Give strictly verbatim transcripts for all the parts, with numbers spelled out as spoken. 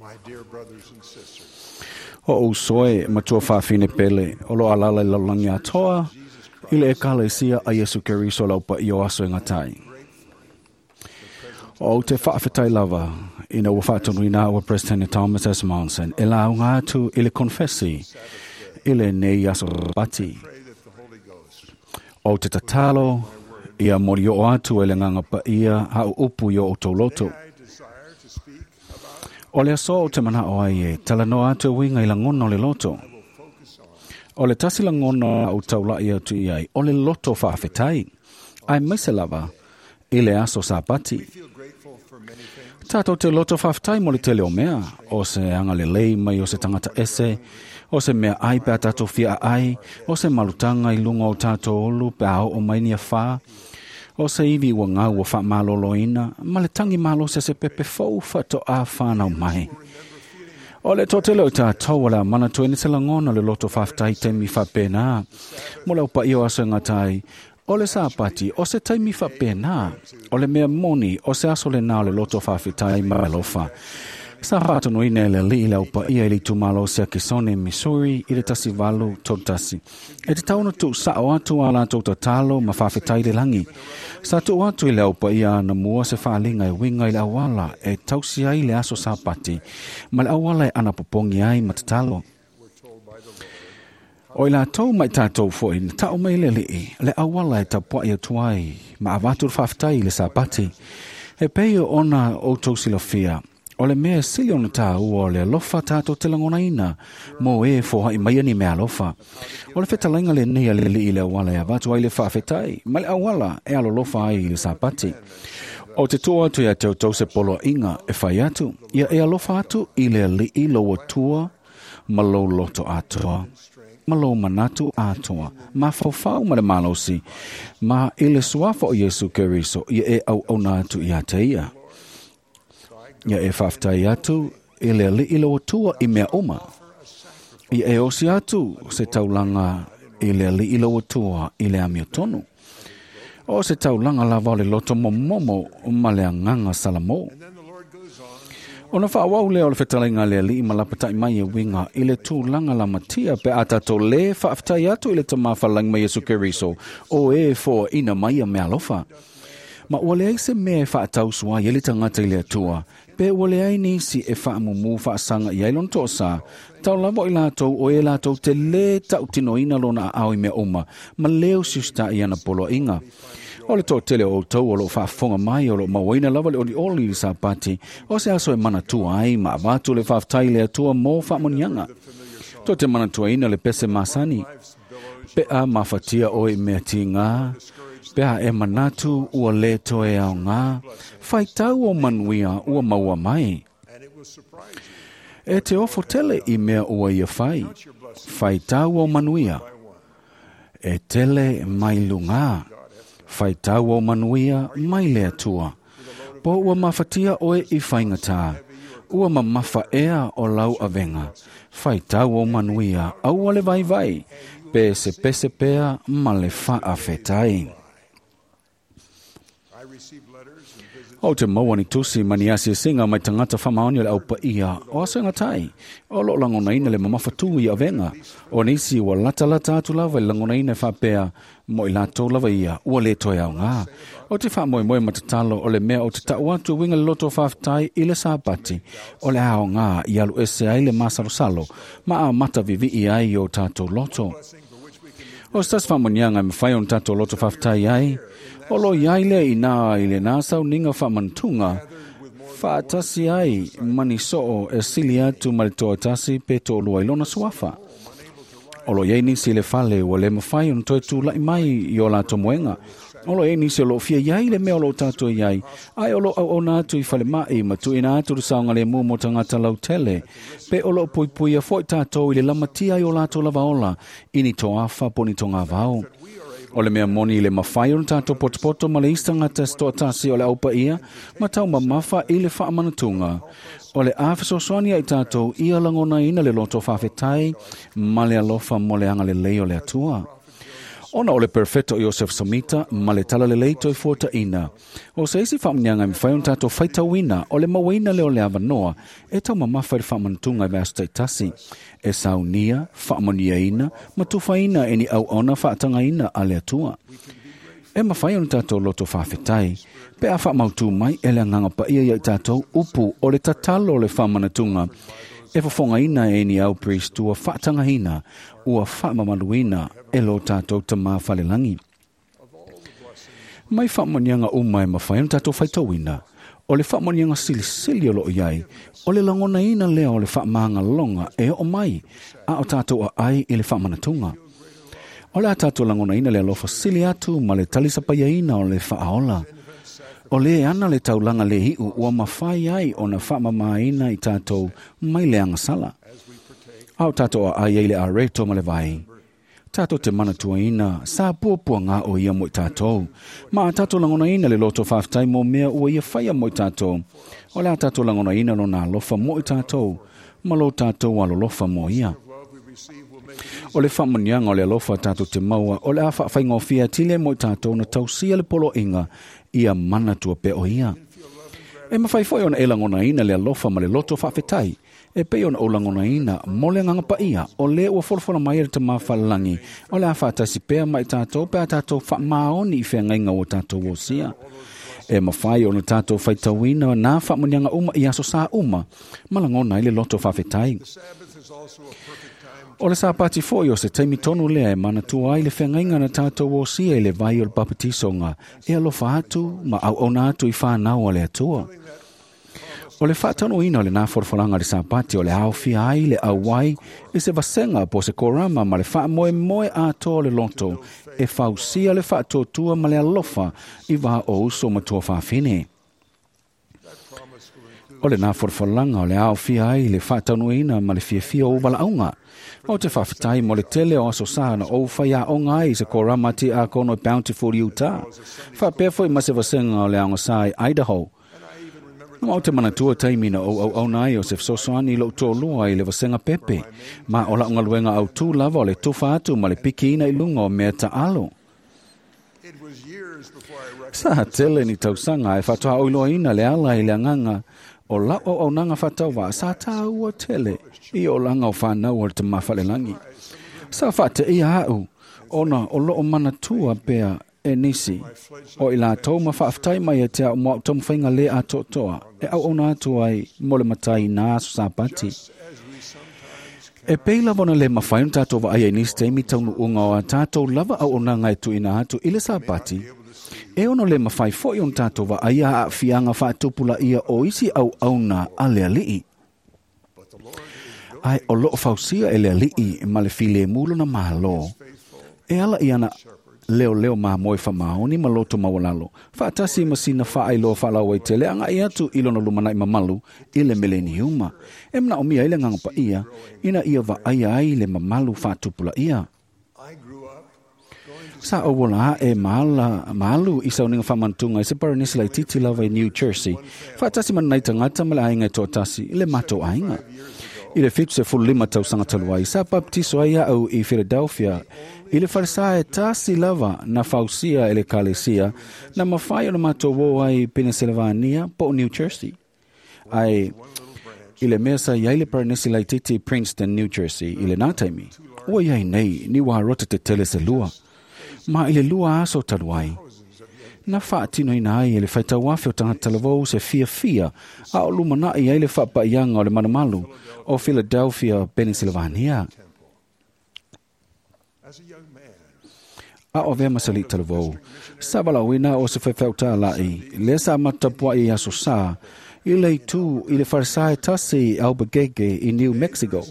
My dear brothers and sisters, O usoe matua whaafine pele, o lo alala i lalani atoa, i le ekalesia a Yesu Keriso laupa i o aso e ngatai. O te whaafetai lava, ina ua whaatonuina ua President Thomas S. Monson, e la unga atu i le confessi, i le nei aso pati. pray that the Holy Ghost O te tatalo, ia mori o atu e le nganga pa ia hau upu i o tauloto. I desire to speak about O le aso o te mana o ai e, tala noa atu e winga i langona o le loto. will focus on O le tasi langona o taulai atu i ai, o le loto whaafetai. Ai maise lava, i le aso sapati. We feel grateful for many things. Tātou te loto whaafetai mo le tele o mea, o se anga le lei mai o se tangata ese, o se mea ai pea tātou fia ai, o se malutanga i lunga o tātou olu pea o o mai nia whā, o se iwi ua ngau ua whaamaloloina, ma le tangi malo se se pepe fou whato a whānau mai. O le tōtele o tātou o le mana tō ene te langona le loto whaafetai taimi whapena. Mo le opa iyo aso ngā tai, o le sāpati, o se taimi whapena, o le mea moni, o se aso le nā o le loto whaafetai ma alofa. Sa whaatono ine le li le opa ia i le tumalo se Kisone, Missouri, i le tasi valu tolu tasi. E te tauna tu sao atu a lātou tatalo ma whaafetai le langi. Sa tu atu i le opa ia na mua se whaalinga e winga i le awala e tausi ai le aso sāpati, ma le awala e anapopongi ai ma tatalo. O i lātou mai tātou foi, na tau mai le lii, le awala e tapuai atu ai, ma avatu le whaafetai i le sāpati. E pei o ona o tau silafia, o le mea sili ona tā ua o le alofa tātou te langona ina, mō e fohai mai ani mea alofa. O le whetalainga le nei a le lii le awala e avatu ai le whaafetai, ma le awala e alolofa ai i le sāpati. O te tua atu ia te tau se polo inga e whai atu, ia e alofa atu i le lii lo atua, ma lo loto atoa, ma lo manatu atoa, ma whaufau ma le malosi, ma i le suafa o Yesu Keriso, ia e au auna atu ia te ia. Ia e whaafetai atu i le alii lo atua i mea uma. Ia e osi atu se taulanga i le alii lo atua i le amio tonu. O se taulanga lava o le loto momomo ma le anganga salamo. And then the Lord goes on Ona whaawau lea o le whetalenga le alii ma lapatai mai e winga i le tūlanga la matia pe a tātou le whaafetai atu i le tamawhalangi mai Yesu Keriso o e fo ina mai a mea alofa. Ma ua leai se mea e whaatausu ai e le tangata i le atua, pe ua leai nisi e whaamumu whaasanga i ai lona to'asa, tau lava i lātou o e lātou te le tautinoina lona aao i mea uma, ma leo siusta i ana poloaiga. O le tōtele o outou o loo faafofoga mai o loo mauaina lava le olioli i le sapati, o se aso e manatua ai ma avatu le faafetai i le Atua mo faamanuiaga. Tō te manatuaina le pese masani, pe a mafatia oe i mea tīgā, pe a e manatu ua le toe aogā, faitau o manuia ua maua mai. and it will surprise you. E te ofo tele i mea ua ia whai, Count your blessings faitau o manuia, by one. e tele mai lungā, faitau o manuia mai le Atua. Po ua mafatia oe i whaingatā, ua mamafa ea o lau avenga, faitau o manuia aua le vaivai, pe se pese pea ma le faafetai. I receive letters and visits O te maua ni tusi mani asi singa mai tangata whamaoni o le aupa ia o aso ngatai. O lo langona ina le mamawhatu i avenga. O nisi ua lata lata atu lava i langona ina whapea mo i lātou lava ia ua le toe au ngā. O te whaamoemoe matatalo o le mea o te tau atu winga le loto whaafetai i le sāpati. O le ao ngā i alu ese ai le masalosalo ma a mata vivi i ai o tātou loto. blessing for which we can O se tasi faamanuiaga e mafai ona tatou loto faafetai ai, o lo iai lea inā i lenā sauniga faamanatunga, faatasi ai mani soo e sili atu ma le toatasi pe toalua i lona suafa. O lo iai nisi i le fale ua le mafai ona toe tula'i mai i o latou moega. O lo iai nisi o loo fia iai le mea o loo tatou iai, ae o loo auauna atu i falema'i ma tuuina atu le saogalemu mo tagata lautele, pe o loo puipuia fo'i tatou i le lamatia i o latou lava ola, i ni toafa po ni togavao. O le mea moni i le mafai ona tatou potopoto ma le isi tagata se toatasi o le aupaia, ma taumamafa i le faamanatuga. O le a fesoasoani ai tatou ia lagonaina le loto faafetai ma le alofa mo le agalelei o le Atua. Ona o le perfeto Iosef Samita ma le talalelei toi fuataina. O se isi faamuniaga e mafai ona tatou faitauina o le mauaina lea o le avanoa e taumamafa i le faamanatuga i vaiaso taitasi. E saunia, faamanuiaina ma tufaina e ni auauna faatagaina a le Atua. E mafai ona tatou loto faafetai pe a faamautu mai e le agaga paia ia i tatou upu o le tatalo o le faamanatuga e fofogaina e ni au priest ua faatagaina ua faamamaluina e lo tatou tamā falelagi. Mai faamanuiaga uma e mafai ona tatou faitauina, o le faamanuiaga silisili o loo iai, o le lagonaina lea o le faamagaloga e oo mai a o tatou aai i le faamanatuga. O le a tatou lagonaina le alofa sili atu ma le talisapaiaina o le faaola. O le ana le taulaga le iu ua mafai ai ona faamamaina i tatou mai le agasala. A o tatou aai ai le areto ma le vai. Tatou te manatuaina sa puapuaga o ia mo i tatou. Ma a tatou lagonaina le loto faafetai mo mea ua ia faia mo i tatou. O le a tatou lagonaina lona alofa mo i tatou ma lo tatou alolofa mo ia. O le faamanuiaga o le alofa tatou te maua o le a faafaigofie atili mo i tatou na tausia le poloaiga ia manatua pea o ia. E mafai foi ona e lagonaina le alofa ma le loto faafetai e pei ona ou lagonaina mo le agaga paia o le ua folafola mai e le tamā falelagi o le a faatasi pea ma i tatou pe a tatou faamaoni i feagaiga ua tatou osia. E mafai ona tatou faitauina nā faamanuiaga uma i aso sa uma ma lagona ai le loto faafetai. The Sabbath is also a perfect time O le Sapati foi o se taimi tonu lea e manatua ai le feagaiga na tatou osia i le vai o le papatisoga e alofa atu ma auauna atu i whanau a le Atua. O le faataunuina o lena folafolaga o le Sapati o le aofia ai le auai i se vasega po o se korama ma le faamoemoe atoa o le loto e fausia le faatuatua ma le alofa i vā o uso ma tuafafine. that promise will include O lena folafolaga o le aofia ai le faataunuina ma le fiafia o valaauga. O te faafetai mo le tele o aso sa na ou faiaoga ai i se korama tiakono i Bountiful, Utah. Faapea foi ma se vasega o le aoga i Idaho. and I even remember Ma o te manatua taimi na ou auauna ai o se fesoasoani i lou toalua i le vasega pepe. Ma o lau galuega autū lava o le tufa atu ma le pikiina i luga o mea taalo. it was years before I recognized Sa tele ni tausaga e faatoaoiloaina le ala i le agaga o lau auaunaga faatauvaa sa tāua tele i olaga o whanau o le tamāfalelagi. Sa faateia au ona o loo manatua pea e nisi o i latou ma faafetai mai e te au mo au taumafaiga le atoatoa e auauna atu ai mo le matai nā aso Sapati. as we sometimes E pei lava ona le mafai ona tatou vaaia i nisi taimi taunuuga o a tatou lava auaunaga e tuuina atu i le Sapati. E ono le mafai foi ona tatou vaaia aafiaga faatupulaia o isi auauna a le alii. but the Lord is Ai o loo fausia e le alii ma le filemu lona malo. faithful E ala i ana leo leo mamoe faamaoni ma loto maualalo. Faatasi ma sina faailoa faalauaitele agai atu i lona lumanai mamalu i le meleniuma. E manaomia ai le agaga paia ina ia vaaia ai le mamalu faatupulaia. I grew up going to Sa ou ola ae maala, maalu i sauniga faamanatuga i se paranisi laititi lava i New Jersey. Faatasi ma nanai tagata ma le aiga e toatasi i le matou aiga. I le fitu sefulu lima tausaga talu ai, sa baptiso ai au i Philadelphia i le falesa e tasi lava na fausia e le kalesia na mafai ona matou o ai i Pennsylvania po o New Jersey. Ai i le mea sa iai le paranisi laititi i Princeton, New Jersey i lenā taimi. Ua iai nei ni uarota tetele se lua. Ma i le lua aso talu ai, na faatinoina ai e le faitauafe o tagata talavou se fiafia a o lumanai ai le faapaiaga o le malumalu o Philadelphia, Pennsylvania. as a young man A o avea ma se alii talavou. Sa valaauina o se faifeau tālaʻi, lea sa matapuaʻi i aso sā, i le itū i le falesa e tasi i Albuquerque i New Mexico.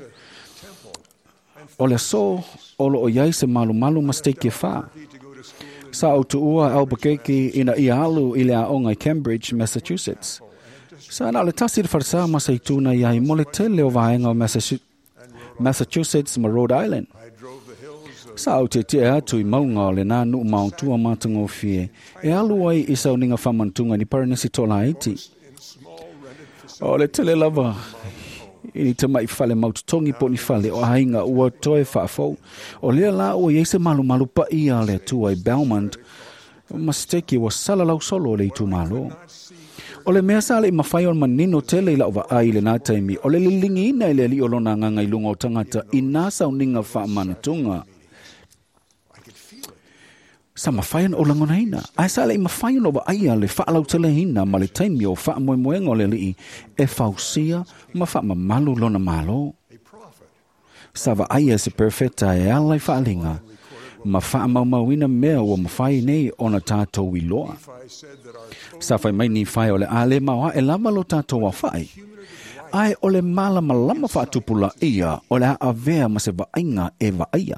O le aso o loo iai se malumalu ma steiki e whā. to go to school in Sa ou tuua Albuquerque ina ia alu i le aoga i Cambridge, Massachusetts. Sa na o le tasi le falesa ma se ituna iai mo le tele o vaega o Massachu- Massachusetts ma Rhode Island. I drove the hills of Sa au te tia atu i maunga o le nā nuu maotua matagofie e alu ai i sauniga faamanatuga ni paranisi tolaiti. in small rented O le tele lava I ni tamaʻi fale mautotogi po o ni fale o aiga ua toe faafou. O lea la ua iai se malumalu paia a le Atua i Belmont ma se ua salalau solo o le itumālō. O le mea sa leʻi mafai ona manino tele i laʻu vaai i lenā taimi, o le liligiina e le Alii o lona agaga i luga o tagata i nā sauniga faamanatuga. Sa mafai ona ou lagonaina, ae sa leʻi mafai ona ou vaaia le faalauteleina ma le taimi o faamoemoega o le Alii e fausia ma faamamalu lona mālō. Sa vaaia e se perofeta e ala i faaliga ma faamaumauina mea ua mafai nei ona tatou iloa. Sa fai mai Nifae o le a lē maoaʻe lava lo tatou aofaʻi, ae o le malamalama faatupulaia o le a avea ma se vaaiga e vaaia.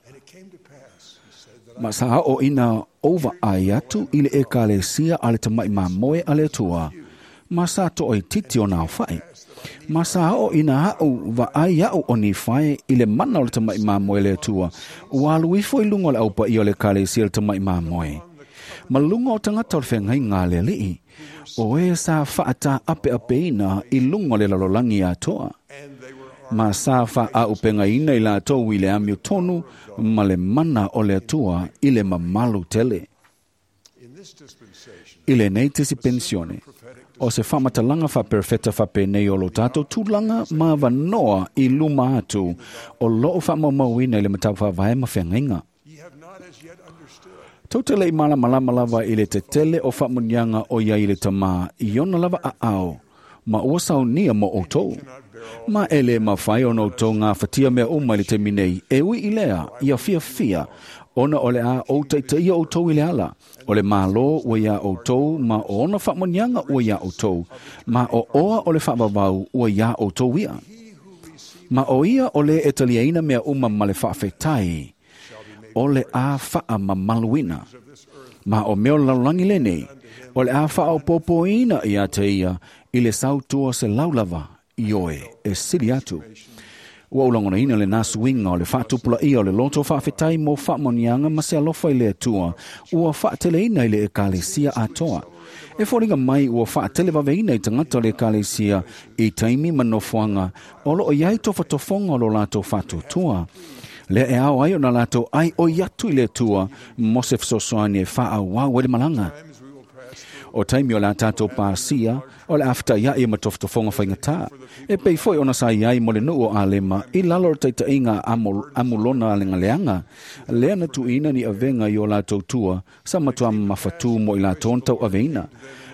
Ma sa oo ina ou vaai atu i le Ekalesia a le Tamaʻi Mamoe a le Atua, ma sa toʻaititi ona aofaʻi. Ma sa oo ina aʻu vaai aʻu o Nifae i le mana o le Tamaʻi Mamoe le Atua, ua alu ifo i luga o le aupaia o le Ekalesia a le Tamaʻi Mamoe ma luga o tagata o le feagaiga a le Alii, o e sa faataapeapeina i luga o le lalolagi atoa, ma sa faaaupegaina i latou i le amiotonu ma le mana o le Atua i le mamalu tele. I lenei tisipensione, o se faamatalaga faaperofeta faapenei o lo tatou tulaga ma avanoa i luma atu o loo faamaumauina i le mataupu faavae ma feagaiga. Tou te leʻi malamalama lava i le tetele o faamuniaga o iai i le Tamā i ona lava aao, ma ua saunia mo outou. Ma e lē mafai ona outou gafatia mea uma i le taimi nei, e ui i lea ia fiafia, ona o le a ou taitaia outou i le ala. O le mālō ua iā outou, ma o ona faamuniaga ua iā outou, ma o oa o le faavavau ua iā outou ia. Ma o ia o lē e taliaina mea uma ma le faafetai, o le a faamamaluina. Ma o mea o le lalolagi lenei, o le a faaopoopoina iā te ia i le sautua selau lava ioe e sili atu. Ua ou lagonaina lenā suiga o le faatupulaia o le loto faafetai mo faamanuiaga ma se alofa i le Atua ua faateleina i le Ekalesia atoa. E foliga mai ua faatelevaveina i tagata o le Ekalesia i taimi ma nofoaga o loo iai tofatofoga o lo latou faatuatua. Lea e ao ai ona latou ai oi atu i le Atua mo se fesoasoani e faaauau ai le malaga. O taimi o le a tatou pasia, o le a fetaiaʻi ma tofotofoga faigatā. E pei foi ona sa iai mo le nuu o Alema i lalo o le taitaiga a Amulona legaleaga, lea na tuuina ni avega i o latou tua sa matuā mafatū mo i latou na tauaveina.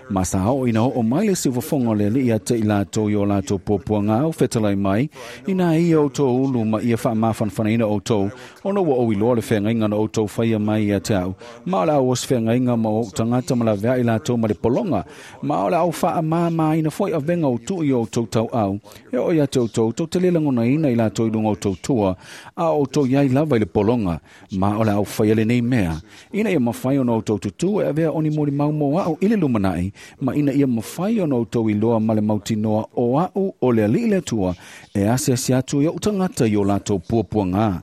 Ma sa oo ina oo mai le siufofoga o le Alii ia te i latou i o latou puapuaga au fetalai mai, inā ia outou ulu ma ia faamafanafanaina outou, ona ua ou iloa le feagaiga na outou faia mai ia te au, ma o le a ou osi feagaiga ma ou tagata ma laveai latou ma le pologa, ma o le a ou faamāmāina foi avega o tuu i o outou tauau, e oo ia te outou tou te lē lagonaina i latou i luga o outou tua, a o outou iai lava i le pologa, ma o le a ou faia lenei mea, ina ia mafai ona outou tutū e avea o ni molimau mo aʻu i le lumanaʻi, ma ina ia mafai ona outou iloa ma le mautinoa o aʻu o le Alii le Atua e asiasi atu i oʻu tagata i o latou puapuagā.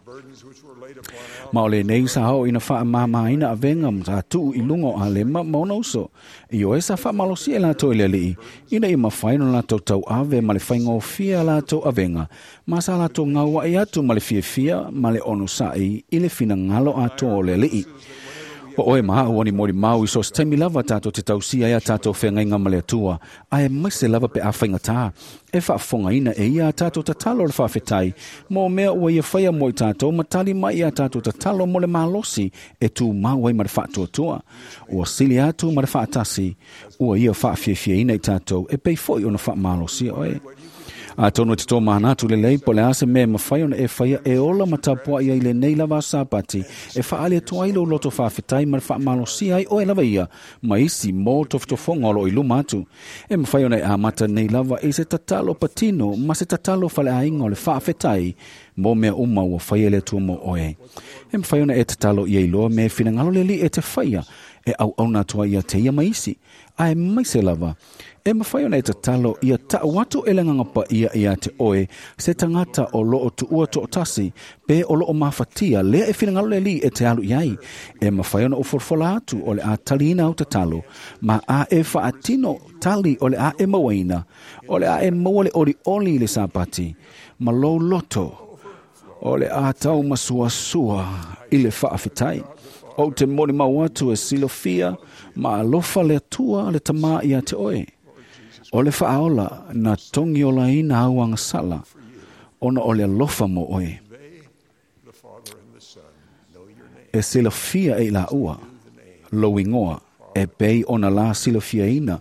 Ma o lenei sa oo ina faamāmāina avega ma sa tuu i luga o Alema ma ona uso, ioe sa faamalosia e latou i le Alii, ina ia mafai ona latou tauave ma le faigofie a latou avega, ma sa latou gauaʻi atu ma le fiafia ma le onosaʻi i le finagalo atoa o le Alii. O oe ma aʻu o ni molimau i so o se taimi lava tatou te tausia ai a tatou feagaiga ma le Atua, ae maise lava pe a faigatā e faafofogaina e ia a tatou tatalo o le faafetai mo mea ua ia faia mo i tatou ma tali mai i a tatou tatalo mo le malosi e tumau ai ma le faatuatua. Ua sili atu ma le faatasi ua ia faafiafiaina i tatou e pei foi ona faamalosia oe. Atonu e te tomanatu lelei po o le a se mea e mafai ona e faia e ola ma tapuaʻi ai lenei lava Sapati e faaali atu ai lou loto faafetai ma le faamalosia ai oe lava ia ma isi mo tofotofoga o loo i luma atu. E mafai ona e amata nei lava i se tatalo patino ma se tatalo faleaiga o le faafetai mo mea uma ua faia le Atua mo oe. E mafai ona e tatalo ia iloa mea e finagalo le Alii e te faia E auauna atu ai ia te ia ma isi, aemaise lava e mafai ona e tatalo ia ta'u atu e le Agaga Paia ia te oe se tagata o loo tuua to'atasi pe o loo mafatia lea e finagalo le Alii e te alu i ai. E mafai ona ou folafola atu o le a taliina au tatalo, ma a e faatino tali o le a e mauaina, o le a e maua le olioli i le Sapati ma lou loto o le a taumasuasua i le faafetai. Ou te molimau atu e silafia ma alofa le Atua le Tamā ia te oe. O le Faaola na togiolaina au agasala ona o le alofa mo oe. They, the Father and the Son, know your name. E silafia e i laua lou igoa e pei ona la silafiaina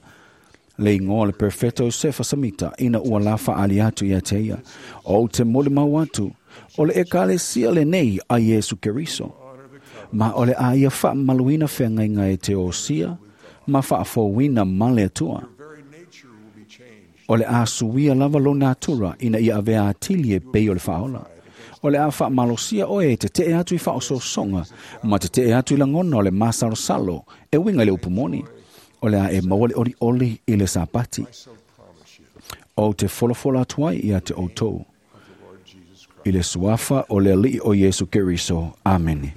le igoa o le Perfeto Iosefa Samita ina ua la faaali atu ia te ia. Ou te molimau atu o le Ekalesia lenei a Iesu Keriso, ma o le a ia faamamaluina feagaiga e te osia ma faafouina ma le Atua. Your very nature will be changed. O le a suia lava lo natura ina ia avea atili e pei o le Faaola. O le a faamalosia oe e tete'e atu i faaosoosoga ma tete'e atu i lagona o le masalosalo e uiga i le upu moni. O le a e maua le olioli i le Sapati. I so promise you, Ou te folafola atu ai ia te outou of the Lord Jesus Christ. i le suafa o le Alii o Iesu Keriso. Amene.